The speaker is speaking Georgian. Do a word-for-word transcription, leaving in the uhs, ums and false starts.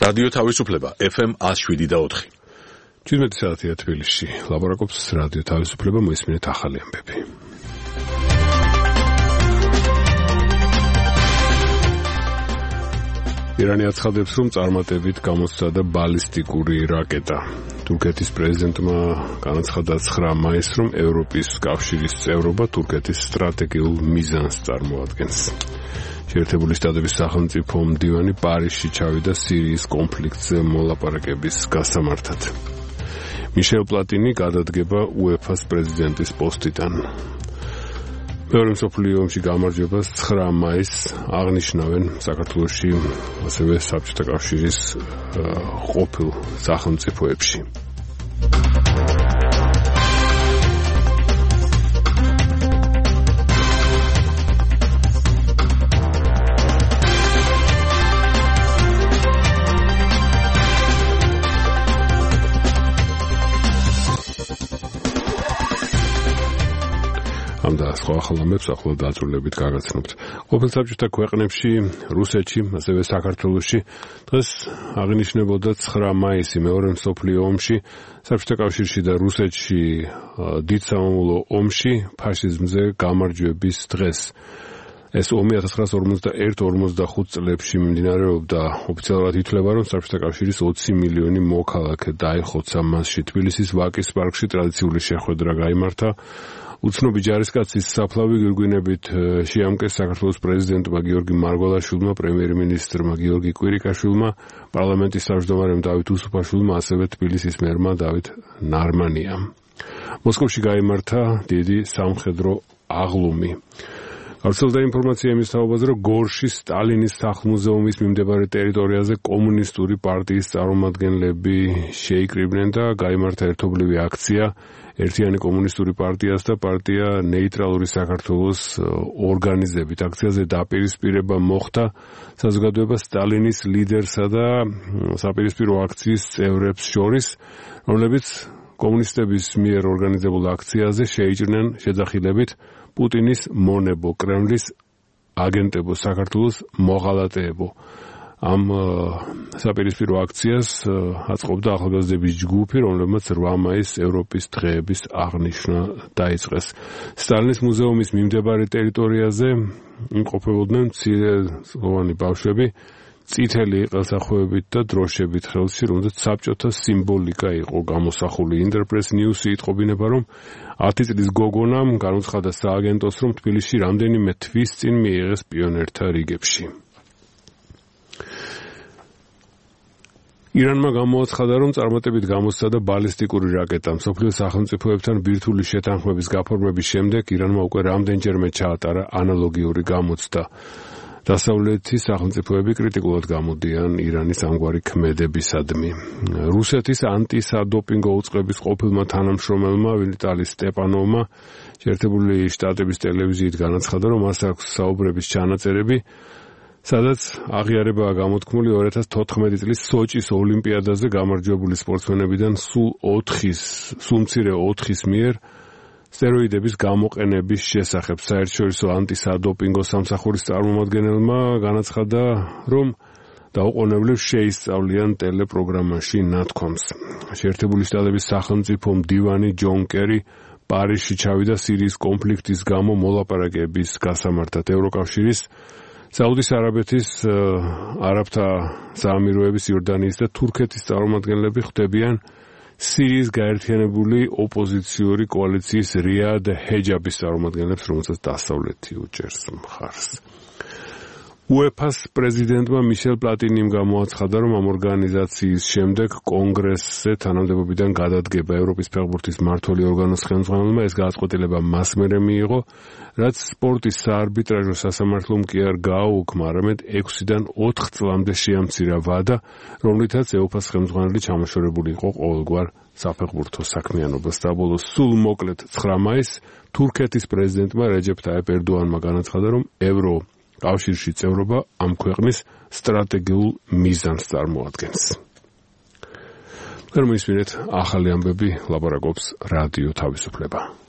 რადიო თავისუფლება F M one oh seven და four. ჩვიდმეტი საათია თბილისში. ლაპარაკობს რადიო თავისუფლება, მოისმინეთ ახალი ამბები. ირანი აცხადებს, რომ წარმატებით გამოსცადა ბალისტიკური რაკეტა. თურქეთის პრეზიდენტმა განაცხადა ცხრა მაისს, რომ ევროპის კავშირის წევრობა თურქეთის სტრატეგიულ მიზანს წარმოადგენს. შეერთებული შტატების სახელმწიფო მდივანი პარიზში ჩავიდა სირიის კონფლიქტზე მოლაპარაკების გასამართად. მიშელ პლატინი გადადგება უეფას პრეზიდენტის პოსტიდან. მეორე მსოფლიო ომში გამარჯვებას ცხრა მაისს აღნიშნავენ საქართველოში, ასევე საბჭოთა კავშირის ყოფილ სახელმწიფოებში. და სხვა ახალამებს ახლა დაწვრილებით გაგაცნობთ. ყოფილ საბჭოთა ქვეყნებში, რუსეთში, ასევე საქართველოში დღეს აღინიშნებოდა ცხრა მაისი მეორე მსოფლიო ომში, საბჭოთა კავშირში და რუსეთში დიდ სამამულო ომში ფაშიზმზე გამარჯვების დღეს. ეს ომი one thousand nine hundred forty-one წლებში მიმდინარეობდა. ოფიციალურად ითვლება, რომ საბჭოთა კავშირის ოცი მილიონი მოქალაქე დაიხოცა მასში. თბილისის ვაკის პარკში ტრადიციული შეხვედრა გაიმართა. უცნობი ჯარისკაცის საფლავი გვირგვინებით შეამკეს საქართველოს პრეზიდენტმა გიორგი მარგველაშვილმა, პრემიერ-მინისტრმა გიორგი კვირიკაშვილმა, პარლამენტის თავმჯდომარემ დავით უსუფაშვილმა, ასევე თბილისის მერმა დავით ნარმანიამ. მოსკოვში გაიმართა დიდი სამხედრო აღლუმი. გავრცელდა ინფორმაცია იმის თაობაზე, რომ გორში სტალინის სახლ-მუზეუმის მიმდებარე ტერიტორიაზე კომუნისტური პარტიის წარმომადგენლები შეიკრიბნენ და გაიმართა ერთობლივი აქცია ერთიანი კომუნისტური პარტიას და პარტია ნეიტრალური საქართველოს ორგანიზებით. აქციაზე დაპირისპირება მოხდა საზოგადოება სტალინის ლიდერსა და საპირისპირო აქციის წევრებს შორის, რომლებიც კომუნისტების მიერ ორგანიზებულ აქციაზე შეიჭრნენ შეძახილებით პუტინის მონებო, კრემლის აგენტებო, საქართველოს მოღალატეებო. ამ საპირისპირო აქციას აწყობდა ახალგაზრდების ჯგუფი, რომლებმაც რვა მაისს ევროპის დღეების აღნიშვნა დაიწყეს. სტალინის მუზეუმის მიმდებარე ტერიტორიაზე იმყოფებოდნენ მცირეწლოვანი ბავშვები, წითელი ყელსახვევებით და დროშებით ხელში, რომელზეც საბჭოთა სიმბოლიკა იყო გამოსახული. ინტერპრეს ნიუსი იტყობინება, რომ ათი წლის გოგონამ განუცხადა სააგენტოს, რომ თბილისში რამდენიმე თვის წინ მიიღეს პიონერთა რიგებში. ირანმა გამოაცხადა, რომ წარმატებით გამოსცადა ბალისტიკური რაკეტა. მსოფლიოს სახელმწიფოებთან ბირთვული შეთანხმების გაფორმების შემდეგ ირანმა უკვე რამდენჯერმე ჩაატარა ანალოგიური გამოცდა. დასავლეთის სახელმწიფოები კრიტიკულად გამოდიან ირანის ამგვარი ქმედებისადმი. რუსეთის ანტისადოპინგო უწყების ყოფილმა თანამშრომელმა ვიტალი სტეპანოვმა შეერთებული შტატების ტელევიზიით განაცხადა, რომ მას აქვს საუბრების ჩანაწერები, სადაც აღიარებაა გამოთქმული ორი ათას თოთხმეტი წლის სოჭის ოლიმპიადაზე გამარჯვებული სპორტსმენებიდან სულ ოთხის, სულ მცირე ოთხის მიერ სტეროიდების გამოყენების შესახებ. საერთაშორისო ანტისადოპინგო სამსახურის წარმომადგენელმა განაცხადა, რომ დაუყოვნებლებს შეისწავლიან ტელეპროგრამაში ნათქვამს. შეერთებული შტატების სახელმწიფო მდივანი ჯონ კერი პარიზში ჩავიდა სირიის კონფლიქტის გამო მოლაპარაკების გასამართად. ევროკავშირის, საუდის არაბეთის, არაბთა საამიროების, იორდანიის და თურქეთის წარმომადგენლები ხვდებიან სირიის გაერთიანებული ოპოზიციური კოალიციის რიად ჰეჯაბის წარმომადგენლებს, რომელსაც დასავლეთი უჭერს მხარს. უეფას პრეზიდენტმა მიშელ პლატინიმ გამოაცხადა, რომ ამ ორგანიზაციის შემდეგ კონგრესზე თანამდებობიდან გადადგება. ევროპის ფეხბურთის მმართველი ორგანოს ხელმძღვანელმა ეს გადაწყვეტილება მას მერე მიიღო, რაც სპორტის საარბიტრაჟო სასამართლომ კი არ გააუქმა, არამედ ექვსიდან ოთხ წლამდე შეამცირა ვადა, რომლითაც ეუფას ხელმძღვანელი ჩამოშორებული იყო ყოველგვარ საფეხბურთო საქმიანობას. საბოლოო სულ მოკლედ ცხრა მაისს თურქეთის პრეზიდენტმა რეჯეფ ტაიპ ერდოანმა განაცხადა, რომ ევრო კავშირში წევრობა ამ ქვეყნის სტრატეგიულ მიზანს წარმოადგენს. რომ ისმინეთ ახალი ამბები, ლაპარაკობს რადიო თავისუფლება.